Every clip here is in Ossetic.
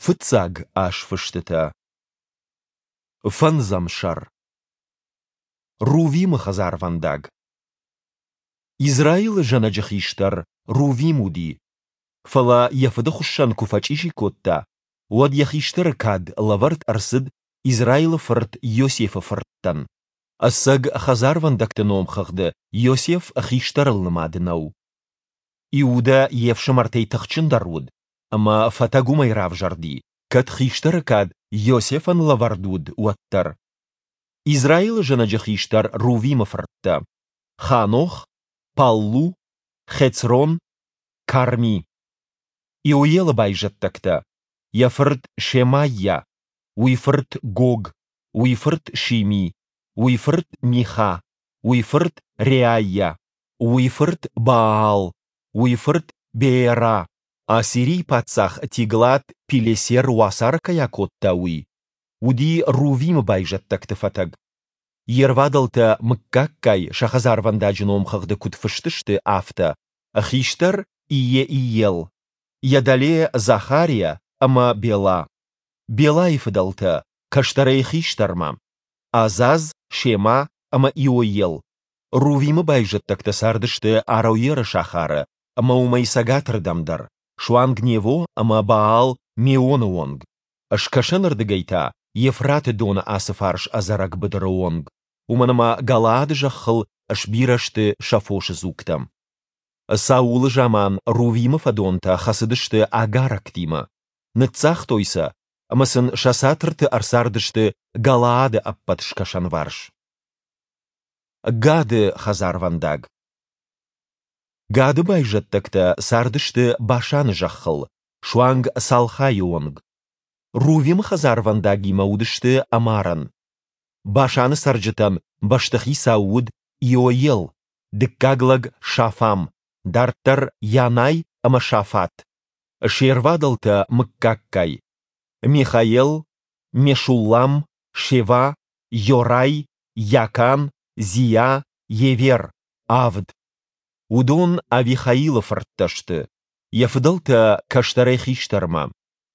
Фыццаг азфыстытӕ. Фӕндзӕм сӕр. Рувимы хӕдзарвӕндаг. Израилы зӕнӕджы хистӕр Рувим уыди. Фӕлӕ йӕ фыды хуыссӕн куы фӕчъизи кодта, уӕд йӕ хистӕры кад лӕвӕрд ӕрцыд Израилы фырт Иосифы фырттӕн. Ӕцӕг хӕдзарвӕндӕгты номхыгъды Иосиф хистӕрыл нымад нӕу. Иудӕ йе фсымӕртӕй тыхджындӕр уыд, ӕмӕ фӕтӕг уымӕй равзӕрди, кӕд хистӕры кад Иосифӕн лӕвӕрд уыд, уӕддӕр. Израилы зӕнӕджы хистӕр Рувимы фырттӕ: Ханох, Паллу, Хецрон, Карми. Иоелы байзӕддӕгтӕ: йӕ фырт Шемайа, уый фырт Гог, уый фырт Шими, уый фырт Миха, уый фырт Реайа, уый фырт Баал, уый фырт Беера, Ассирийы паддзах Тиглат-Пилесер уацары кӕй акодта, уый, уыди Рувимы байзӕддӕгты фӕтӕг. Йе рвадӕлтӕ мыггаггай сӕ хӕдзарвӕндаджы номхыгъды куыд фыст сты, афтӕ, хистӕр Иеиел, йӕ дӕле Захариа ӕмӕ Бела. Белайы фыдӕлтӕ, кӕстӕрӕй хистӕрмӕ, Азаз, Шема ӕмӕ Иоел. Рувимы байзӕддӕгтӕ цардысты Ароеры сахары ӕмӕ уымӕй цӕгатырдӕм дӕр, суанг Нево ӕмӕ Баал-Меоны онг, скӕсӕнырдыгӕй та Евфраты доны ацы фарс ӕдзӕрӕг быдыры онг, уымӕн ӕмӕ Галаады зӕххыл сбирӕ сты сӕ фосы дзугтӕ. Саулы заман Рувимы фӕдонтӕ хӕцыдысты агарӕгтимӕ, ныццагътой сӕ ӕмӕ сын сӕ цатырты ӕрцардысты Галаады ӕппӕт скӕсӕнварс. Гады хӕдзарвӕндаг. Гады байзӕддӕгтӕ цардысты Башаны зӕххыл, суанг Салхайы онг. Рувимы хӕдзарвӕндагимӕ уыдысты ӕмарӕн. Башаны цӕрджытӕн бӕстыхицау уыд Иоел, дыккаг лӕг Шафам, дарддӕр Янай ӕмӕ Шафат. Се рвадӕлтӕ мыггаггай: Михаел, Мешуллам, Шева, Йорай, Йакан, Зиа, Евер, авд. Уыдон Авихаилы фырттӕ сты, йӕ фыдӕлтӕ кӕстӕрӕй хистӕрмӕ: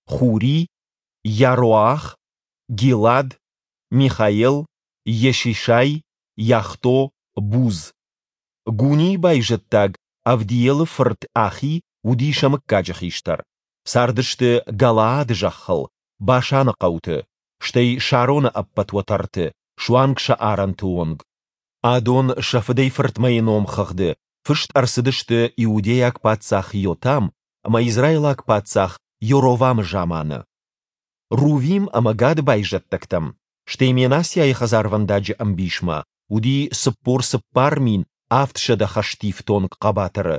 Хури, Йароах, Гилад, Михаел, Йешишай, Йахдо, Буз. Гунийы байзӕддаг Авдиелы фырт Ахи уыди сӕ мыггаджы хистӕр. Цардысты Галаады зӕххыл, Башаны хъӕуты, стӕй Шароны ӕппӕт уӕтӕрты, суанг сӕ арӕнты онг. Адон сӕ фыдӕй-фыртмӕйы номхыгъды фыст ӕрцыдысты иудейаг паддзах Йотам ӕмӕ израилаг паддзах Йоровамы заманы. Рувим ӕмӕ Гады байзӕддӕгтӕм, стӕй Менассиайы хӕдзарвӕндаджы ӕмбисмӕ уыди 44 700 хӕстифтонг хъӕбатыры.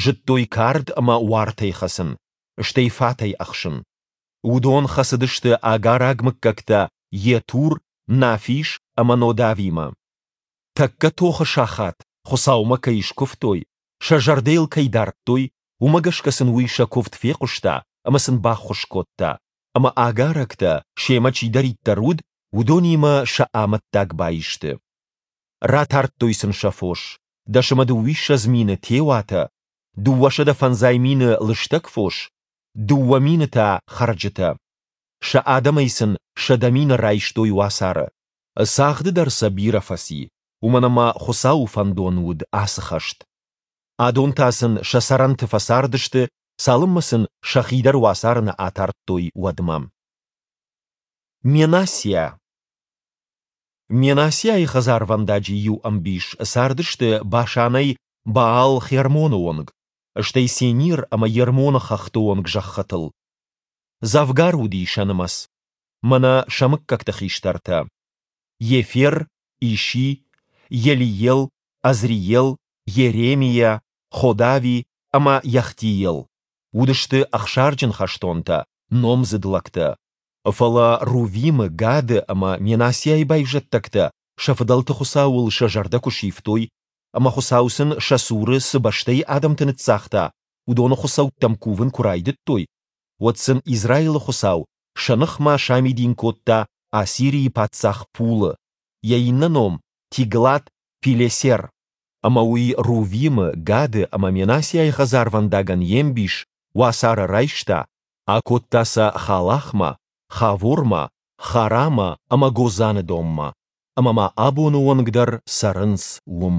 Зыдтой кард ӕмӕ уартӕй хӕцын, стӕй фатӕй ӕхсын. Уыдон хӕцыдысты агараг мыггӕгтӕ Йетур, Нафиш ӕмӕ Нодавимӕ. Тӕккӕ тохы сахат Хуыцаумӕ кӕй скуывтой, сӕ зӕрдӕ йыл кӕй дардтой, уымӕ гӕсгӕ сын уый сӕ куывд фехъуыста ӕмӕ сын баххуыс кодта, ӕмӕ агарӕгтӕ, семӕ чидӕриддӕр уыд, уыдонимӕ сӕ амӕттаг баисты. Ратардтой сын сӕ фос, 20 000 теуатӕ, 250 000 лыстӕг фос, 2000 та хӕрджытӕ. Сӕ адӕмӕй сын 100 000 райстой уацары. Цагъды дӕр сӕ бирӕ фӕци, уымӕн ӕмӕ Хуыцауы фӕндон уыд ацы хӕст. Адон та сын сӕ цӕрӕнты фӕцардысты, цалынмӕ сын сӕхи дӕр уацары нӕ атардтой, уӕдмӕ. Менассиа Менассиайы хӕдзарвӕндаджы иу ӕмбис цардысты Башанӕй Баал-Хермоны онг, стӕй Сенир ӕмӕ Ермоны хӕхты онг зӕххытыл. Дзӕвгар уыди сӕ нымӕц. Мӕнӕ сӕ мыггӕгты хистӕртӕ: Ефер, Иши, Елиел, Азриел, Йеремиа, Ходави ӕмӕ Йахдиел. Уыдысты ӕхсарджын хӕстонтӕ, номдзыд лӕгтӕ. Фӕлӕ Рувимы, Гады ӕмӕ Менассиайы байзӕддӕгтӕ сӕ фыдӕлты Хуыцауыл сӕ зӕрдӕ куы сивтой, ӕмӕ Хуыцау сын сӕ цуры цы бӕстӕйы адӕмты ныццагъта, уыдоны хуыцӕуттӕм кувын куы райдыдтой, уӕд сын Израилы Хуыцау сӕ ныхмӕ самидин кодта Ассирийы паддзах Пулы, йӕ иннӕ ном Тиглат-Пилесер. Ӕмӕ уый Рувимы, Гады ӕмӕ Менассиайы хӕдзарвӕндагӕн йе мбис уацары райста. Акодта сӕ Халахмӕ, Хавормӕ, Харамӕ ӕмӕ Гозаны донмӕ, ӕмӕ ма абоны онг дӕр цӕрынц уым.